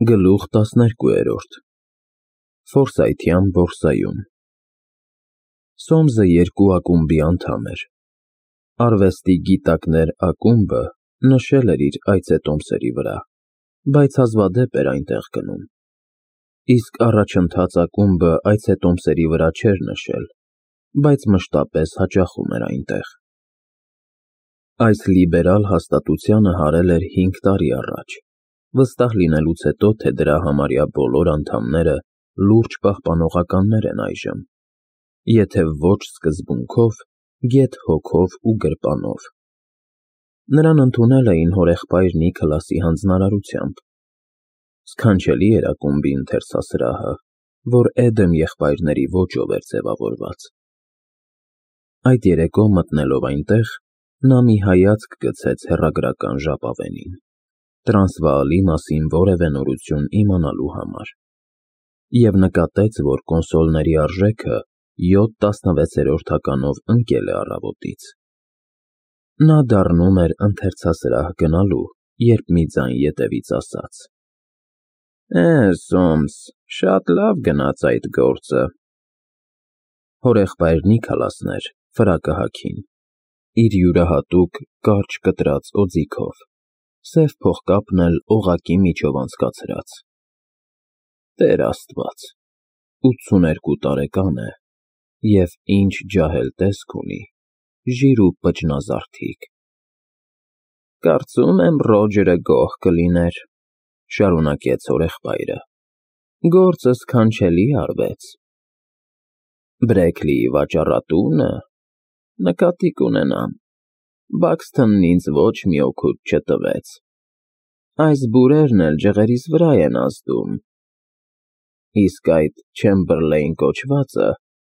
Գլուխ 12 Ֆորսայթյան բորսայում Սոմսը երկու ակումբի անդամ էր։ Արվեստի գիտակներ ակումբը նշել էր իր այցետոմսերի վրա, բայց հազվադեպ էր այնտեղ գնում, իսկ առաջընթաց ակումբը այցետոմսերի վրա չէր նշել, բայց մշտապես հաճախում էր այնտեղ։ Այս լիբերալ հաստատությանը հարել էր 5 տարի առաջ, վստահ լինելուց հետո, թե դրա համարյա բոլոր անդամները լուրջ պահպանողականներ են այժմ, եթե ոչ սկզբունքով, գեթ հոգով ու գրպանով։ Նրան ընդունել էին հորեղբայր Նիքլասի հանձնարարությամբ։ Սքանչելի էր ակումբի ընթերցասրահը, որ Էդեմ եղբայրների ոճով էր ձևավորված։ Այդ երեկո մտնելով այնտեղ, նա մի հայացք գցեց հեռագրական ժապավենին, Տրանսվաալի մասին որևէ նորություն իմանալու համար, և նկատեց, որ կոնսոլների արժեքը 7/16-ականով ընկել է առավոտից։ Նա դառնում էր ընթերցասրահ գնալու, երբ մի ձայն ետևից ասաց. Սոմս, շատ լավ գնաց այդ գործը։ Հորեղբայր Նիքլասն էր, ֆրակը հագին, իր յուրահատուկ կարճ կտրած օձիքով, սև փողկապն էլ օղակի միջով անցկացրած։ Տեր Աստված, 82 տարեկան է, և ինչ ջահել տեսք ունի, ժիր ու պճնազարդիկ։ Կարծում եմ Ռոջերը գոհ կլիներ, շարունակեց հորեղբայրը, գործը սքանչելի արվեց։ Բրեքլիի վաճառատունը, նկատի կունենամ, Բաքսթոնն ինձ ոչ մի օգուտ չտվեց, այս բուրերն էլ ջղերիս վրա են ազդում, իսկ այդ Չեմբերլեյն կոչվածը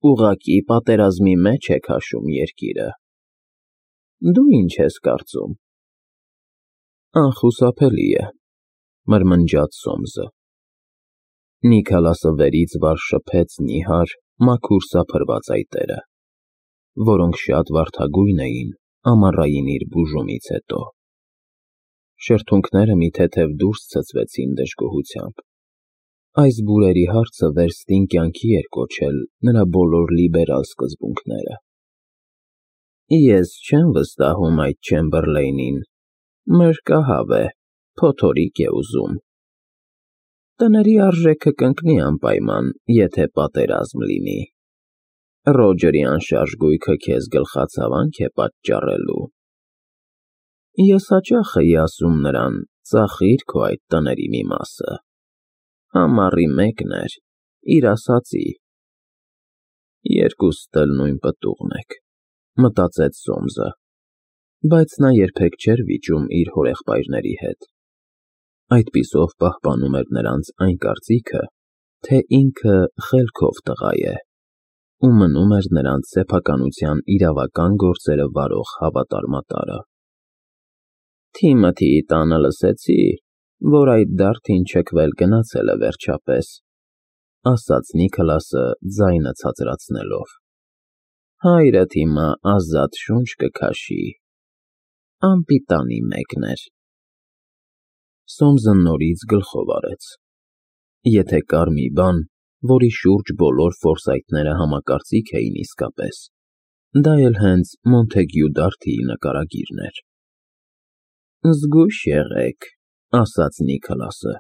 ուղղակի պատերազմի մեջ է քաշում երկիրը։ Դու ինչ ես կարծում։ Անխուսափելի է, մրմնջաց Սոմսը։ Նիքլասը վերից վար շփեց նիհար, մաքուր սափրված այտերը, որոնք շատ վարդագույն էին ամառային իր բուժումից հետո։ Շրթունքները մի թեթև դուրս ցցվեցին դժգոհությամբ։ Այս բուրերի հարցը վերստին կյանքի էր կոչել նրա բոլոր լիբերալ սկզբունքները։ Ես չեմ վստահում այդ Չեմբերլեյնին, մրրկահավ է, փոթորիկ է ուզում։ Տների արժեքը կընկնի անպայման, եթե պատերազմ լինի։ Ռոջերի անշարժ գույքը քեզ գլխացավանք է պատճառելու։ Ես հաճախ էի ասում նրան, ծախիր քո այդ տների մի մասը։ Ամառի մեկն էր, իր ասածի։ Երկուստ էլ նույն պտուղն եք, մտածեց Սոմսը, բայց նա երբեք չէր վիճում իր հորեղբայրների հետ։ Այդպիսով պահպանում էր նրանց այն կարծիքը, թե ինքը խելքով տղա է, ու մնում էր նրանց սեփականության իրավական գործերը վարող հավատարմատարը։ Թիմոթիի տանը լսեցի, որ այդ դարդին չքվել գնացել է վերջապես, ասաց Նիքլասը ձայնը ցածրացնելով։ Հայրդ հիմա ազատ շունչ կքաշի, անպիտանի մեկն էր։ Սոմսը նորից գլխով արեց։ Եթե կար մի բան, որի շուրջ բոլոր Ֆորսայթները համակարծիք էին իսկապես, դա էլ հենց Մոնթեգյու դարդիի նկարագիրն էր։ Զգույշ եղեք, ասաց Նիքլասը,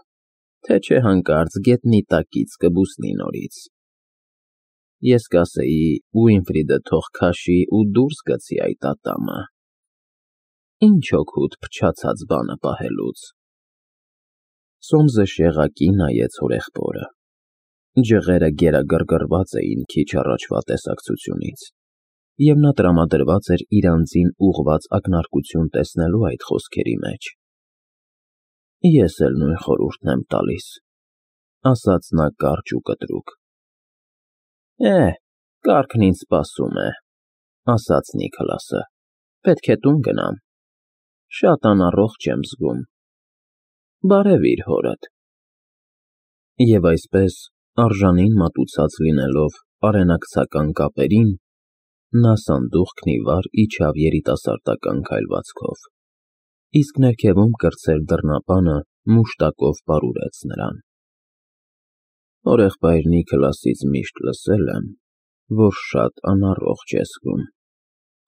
թե չէ հանկարծ գետնի տակից կբուսնի նորից։ Ես կասեի Ուինֆրիդը թող քաշի ու դուրս գցի այդ ատամը։ Ինչ օգուտ փչացած բանը պահելուց։ Սոմսը շեղակի նայեց հորեղբորը։ Ջղերը գերագրգռված էին քիչ առաջվա տեսակցությունից, և նա տրամադրված էր իր անձին ուղղված ակնարկություն տեսնելու այդ խոսքերի մեջ։ Ես էլ նույն խորհուրդն եմ տալիս, ասաց նա կարճ ու կտրուկ։ Կառքն ինձ սպասում է, ասաց Նիքլասը, պետք է տուն գնամ, շատ անառողջ եմ զգում։ Բարևիր հորդ։ Եվ այսպես, արժանին մատուցած լինելով արենակցական կապերին, նա սանդուղքն ի վար իջավ երիտասարդական քայլվածքով, իսկ ներքևում կրտսեր դռնապանը մուշտակով պարուրեց նրան։ Օրեղբայրնի քլասից միշտ լսել եմ, որ շատ անառողջ ես զգում,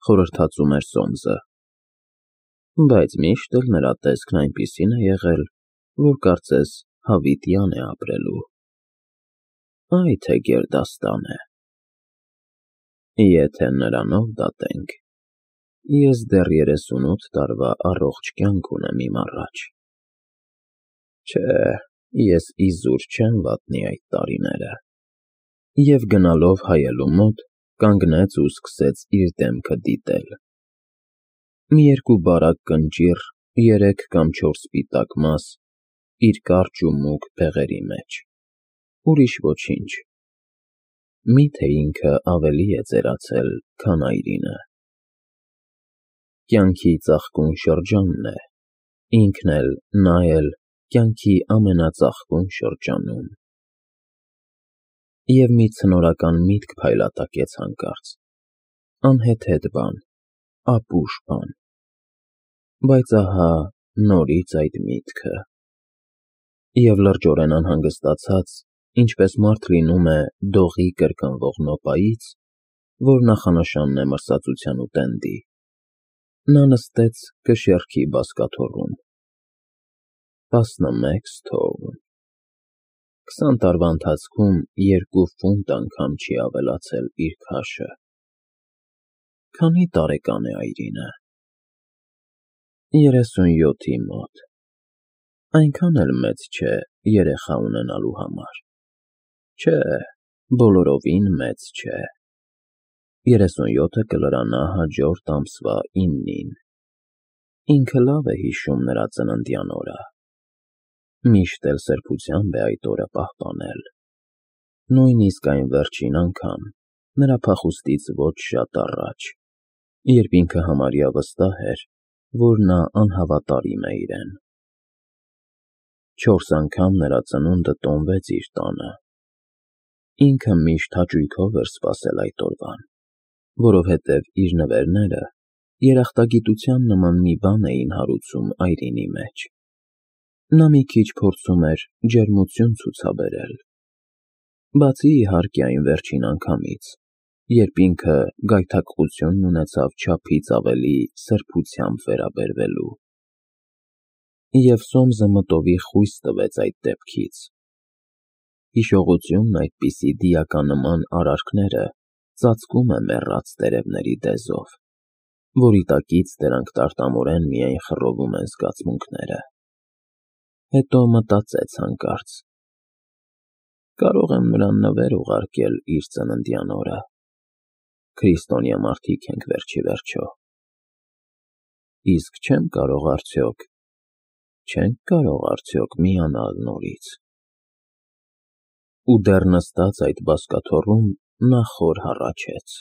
խորհրդածում էր Սոմսը, բայց միշտ էլ նրա տեսքն այնպիսին է եղել, որ կարծես հավիտյան է ապրելու։ Այ թե գերդաստան է։ Եթե նրանով դատենք, ես դեռ 38 տարվա առողջ կյանք ունեմ իմ առաջ։ Չէ, ես իզուր չեմ վատնի այդ տարիները։ Եվ գնալով հայելու մոտ, կանգնեց ու սկսեց իր դեմքը դիտել։ Մի երկու բարակ կնճիռ, 3 կամ 4 սպիտակ մաս, իր կարճ ու մուգ բեղերի մեջ, ուրիշ ոչինչ։ Միթե ինքը ավելի է ծերացել, քան այրինը։ Կյանքի ծաղկուն շրջանն է, ինքն էլ, նա էլ, կյանքի ամենածաղկուն շրջանում։ Եվ մի ցնորական միտք փայլատակեց հանկարծ, անհեթեթ բան, ապուշ բան, բայց ահա նորից այդ միտքը։ Եվ լրջորեն անհանգստացած, ինչպես մարդ լինում է դողի կրկնվող նոպայից, որ նախանշանն է մրսածության ու տենդի, նա նստեց կշեռքի բազկաթոռում։ 11 սթոուն։ 20 տարվա ընթացքում 2 ֆունտ անգամ չի ավելացել իր քաշը։ Քանի տարեկան է այրինը։ 37-ի մոտ։ Այնքան էլ մեծ չէ երեխա ունենալու համար։ Չէ, բոլորովին մեծ չէ։ 37-ը կլրանա հաջորդ ամսվա 9-ին։ Ինքը լավ է հիշում նրա ծննդյան օրը։ Միշտ էլ սրբությամբ է այդ օրը պահպանել։ Նույնիսկ այն վերջին անգամ, նրա փախուստից ոչ շատ առաջ, երբ ինքը համարյա վստահ էր, որ նա անհավատարիմ է իրեն։ 4 անգամ նրա ծնունդը տոնվեց իր տանը։ Ինքը միշտ հաճույքով էր սպասել այդ օրվան, որովհետև իր նվերները երախտագիտության նման մի բան էին հարուցում այրինի մեջ։ Նա մի քիչ փորձում էր ջերմություն ցուցաբերել։ Բացի իհարկե այն վերջին անգամից, երբ ինքը գայթակղությունն ունեցավ չափից ավելի սրբությամբ վերաբերվելու։ Եվ Սոմսը մտովի խույս տվեց այդ դեպքից։ Հիշողությունն այդպիսի դիականման արարքները ծածկում է մեռած տերևների դեզով, որի տակից դրանք տարտամորեն միայն խռովում են զգացմունքները։ Հետո մտածեց հանկարծ. կարող եմ նրան նվեր ուղարկել իր ծննդյան օրը։ Քրիստոնյա մարդիկ ենք վերջի վերջո։ Իսկ չենք կարող արդյոք միանալ նորից։ Ու դեռ նստած այդ բազկաթոռում նա խոր հառաչեց.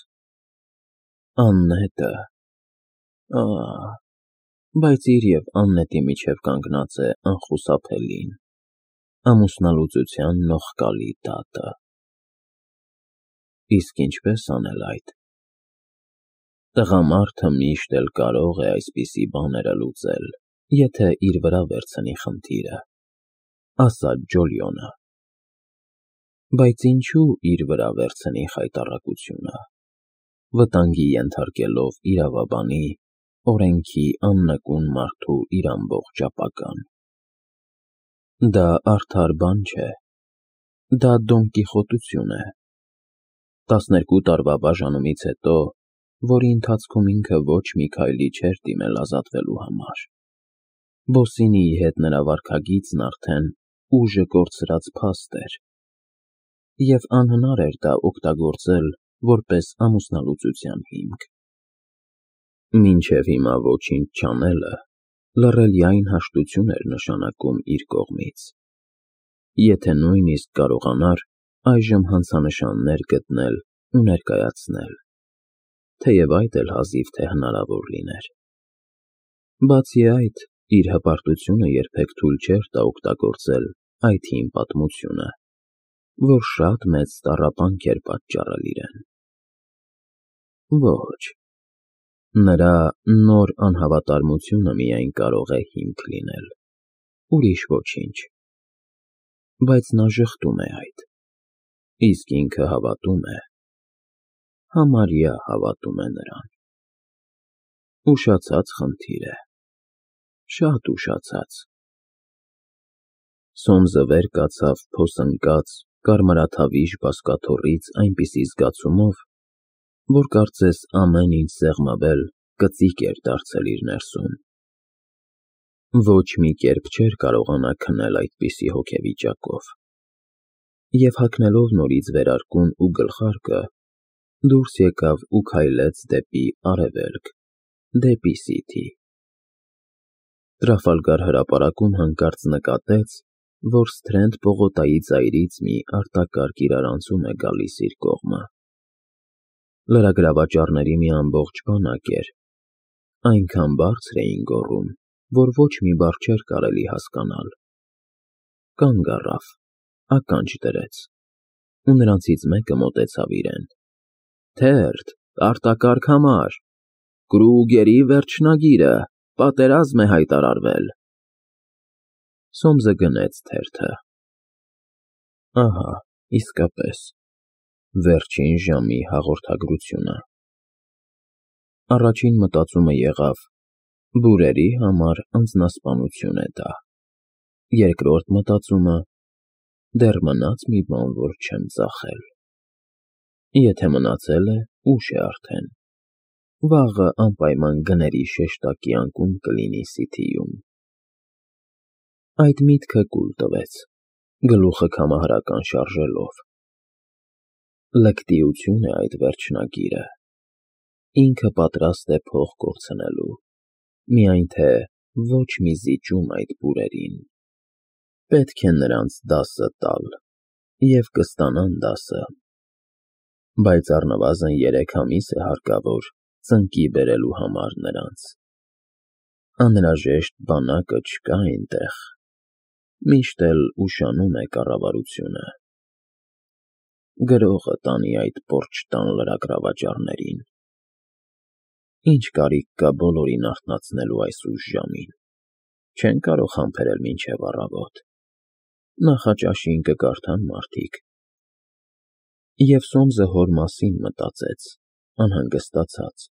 Աննետը։ Բայց իր և Աննետի միջև կանգնած է անխուսափելին, ամուսնալուծության նողկալի դատը։ Իսկ ինչպես անել այդ։ Տղամարդը միշտ էլ կարող է այսպիսի բաները լուծել, եթե իր վրա վերցնի խնդիրը, ասաց Ջոլիոնը։ Բայց ինչու իր վրա վերցնի խայտառակությունը, վտանգի ենթարկելով իրավաբանի, օրենքի աննկուն մարդու իր ամբողջ ապագան։ Դա արդար բան չէ, դա դոնկիխոտություն է։ 12 տարվա բաժանումից հետո, որի ընթացքում ինքը ոչ մի քայլի չէր դիմել ազատվելու համար։ Բոսինիի հետ նրա վարքագիծն արդեն ուժը կորցրած փաստ էր, և անհնար էր դա օգտագործել որպես ամուսնալուծության հիմք։ Մինչև հիմա ոչինչ չանելը լռելիայն հաշտություն էր նշանակում իր կողմից։ Եթե նույնիսկ կարողանար այժմ հանցանշաններ գտնել ու ներկայացնել, թեև այդ էլ հազիվ թե հնարավոր լիներ։ Բացի այդ, իր հպարտությունը երբեք թույլ չէր տա օգտագործել այդ հին պատմությունը, որ շատ մեծ տառապանք էր պատճառել իրեն։ Ոչ, նրա նոր անհավատարմությունը միայն կարող է հիմք լինել, ուրիշ ոչինչ։ Բայց նա ժխտում է այդ, իսկ ինքը հավատում է, համարյա հավատում է նրան։ Ուշացած խնդիր է, շատ ուշացած։ Սոմսը վեր կացավ փոսընկած, կարմրաթավիժ բազկաթոռից այնպիսի զգացումով, որ կարծես ամեն ինչ սեղմվել, կծիկ էր դարձել իր ներսում։ Ոչ մի կերպ չէր կարողանա քնել այդպիսի հոգեվիճակով։ Եվ հագնելով նորից վերարկուն ու գլխարկը, դուրս եկավ ու քայլեց դեպի արևելք, դեպի Սիթի։ Տրաֆալգար հրապարակում հանկարծ նկատեց, որ Սթրենդ պողոտայի ծայրից մի արտակարգ իրարանցում է գալիս իր կողմը։ Լրագրավաճառների մի ամբողջ բանակ էր, այնքան բարձր էին գոռում, որ ոչ մի բառ չէր կարելի հասկանալ։ Կանգ առավ, ականջ դրեց, ու նրանցից մեկը մոտեցավ իրեն։ Թերթ, արտակարգ համար, Կրուգերի վերջնագիրը, պատերազմ է հայտարարվել։ Սոմսը գնեց թերթը։ Ահա, իսկապես, վերջին ժամի հաղորդագրությունը։ Առաջին մտածումը եղավ. բուրերի համար անձնասպանություն է դա։ Երկրորդ մտածումը. դեռ մնաց մի բան, որ չեմ ծախել։ Եթե մնացել է, ուշ է արդեն։ Վաղը անպայման գների շեշտակի անկում կլինի Սիթիում։ Այդ միտքը կուլ տվեց, գլուխը քամահարական շարժելով։ Լկտիություն է այդ վերջնագիրը։ Ինքը պատրաստ է փող կորցնելու, միայն թե ոչ մի զիջում այդ բուրերին։ Պետք է նրանց դասը տալ, և կստանան դասը։ Բայց առնվազն 3 ամիս է հարկավոր ծնկի բերելու համար նրանց։ Անհրաժեշտ բանակը չկա այնտեղ, միշտ էլ ուշանում է կառավարությունը։ Գրողը տանի այդ պոռչտան լրագրավաճառներին։ Ինչ կարիք կա բոլորին արթնացնելու այս ուշ ժամին, չեն կարող համբերել մինչև առավոտ, նախաճաշին կկարդան մարդիկ։ Եվ Սոմսը հոր մասին մտածեց, անհանգստացած։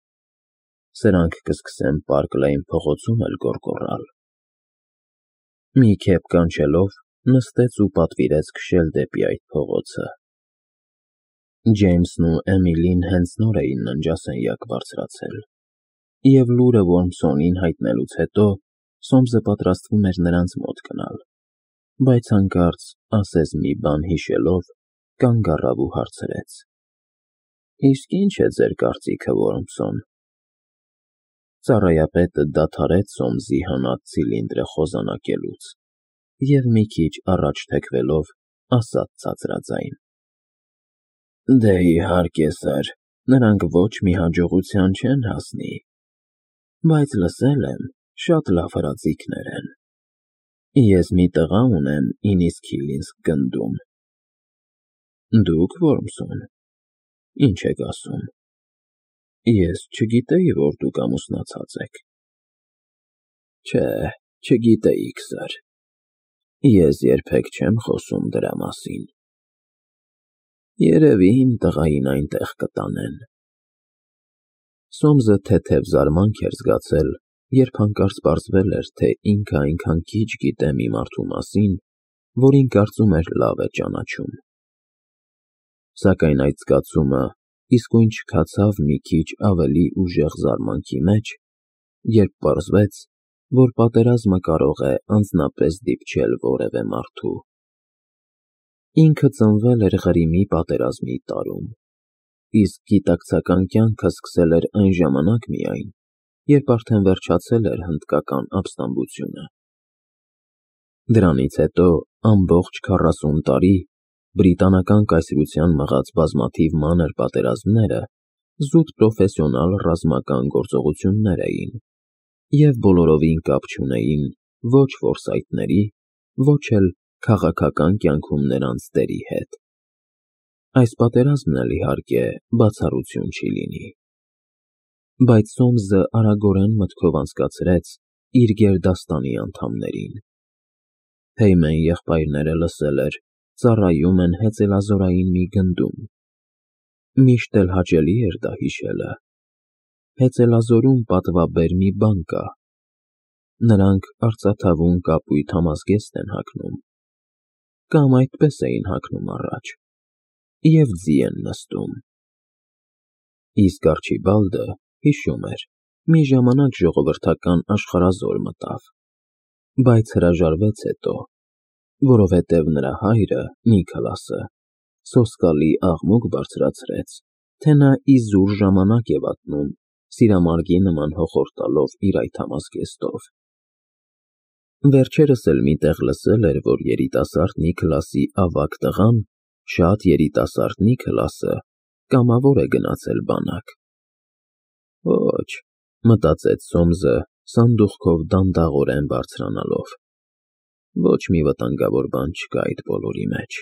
Սրանք կսկսեն Պարկ Լեյն փողոցում էլ գոռգոռալ։ Մի քեֆ կանչելով, նստեց ու պատվիրեց քշել դեպի այդ փողոցը։ Ջեյմսն ու Էմիլին հենց նոր էին ննջասենյակ բարձրացել, և լուրը Որմսոնին հայտնելուց հետո Սոմսը պատրաստվում էր նրանց մոտ գնալ, բայց հանկարծ, ասես մի բան հիշելով, կանգ առավ ու հարցրեց. Իսկ ի՞նչ է ձեր կարծիքը, Որմսոն։ Ծառայապետը դադարեց Սոմսի հանած ցիլինդրը խոզանակելուց և մի քիչ առաջ թեքվելով, ասաց ցածրաձայն. Դե իհարկե, սըր, նրանք ոչ մի հաջողության չեն հասնի, բայց լսել եմ, շատ լավ հրաձիգներ են։ Ես մի տղա ունեմ Ինիսքիլինսկ գնդում։ Դուք, Որմսոն, ինչ եք ասում։ Ես չգիտեի, որ դուք ամուսնացած եք։ Չէ, չգիտեիք, սըր։ Ես երբեք չեմ խոսում դրա մասին։ Երևի իմ տղային այնտեղ կտանեն։ Սոմսը թեթև զարմանք էր զգացել, երբ հանկարծ պարզվել էր, թե ինքը այնքան քիչ գիտե մի մարդու մասին, որին կարծում էր լավ է ճանաչում։ Սակայն այդ զգացումը իսկույն չքացավ մի քիչ ավելի ուժեղ զարմանքի մեջ, երբ պարզվեց, որ պատերազմը կարող է անձնապես դիպչել որևէ մարդու։ Ինքը ծնվել էր Ղրիմի պատերազմի տարում, իսկ գիտակցական կյանքը սկսել էր այն ժամանակ միայն, երբ արդեն վերջացել էր հնդկական ապստամբությունը։ Դրանից հետո ամբողջ 40 տարի բրիտանական կայսրության մղած բազմաթիվ մանր պատերազմները զուտ պրոֆեսիոնալ ռազմական գործողություններ էին և բոլորովին կապ չունեին ոչ ֆորսայթների, ոչ էլ քաղաքական կյանքում նրանց դերի հետ։ Այս պատերազմն էլ, իհարկե, բացառություն չի լինի։ Բայց Սոմսը արագորեն մտքով անցկացրեց իր գերդաստանի անդամներին։ Հեյմեն եղբայրները լսել էր, ծառայում են հեծելազորային մի գնդում։ Միշտ էլ հաճելի էր դա հիշելը։ Հեծելազորում պատվաբեր մի բան կա. նրանք արծաթավուն կապույտ համազգեստ են հագնում, կամ այդպես էին հագնում առաջ, և ձի են նստում։ Իսկ Արչիբալդը հիշում էր, մի ժամանակ ժողովրդական աշխարհազոր մտավ, բայց հրաժարվեց հետո, որովհետև նրա հայրը, Նիքլասը, սոսկալի աղմուկ բարձրացրեց, թե նա իզուր ժամանակ է վատնում սիրամարգի նման հոխորտալով իր այդ համազգեստով։ Վերջերս էլ մի տեղ լսել էր, որ երիտասարդ Նիքլասի ավագ տղան, շատ երիտասարդ Նիքլասը, կամավոր է գնացել բանակ։ Ոչ, մտածեց Սոմսը սանդուղքով դանդաղորեն բարձրանալով, ոչ մի վտանգավոր բան չկա այդ բոլորի մեջ։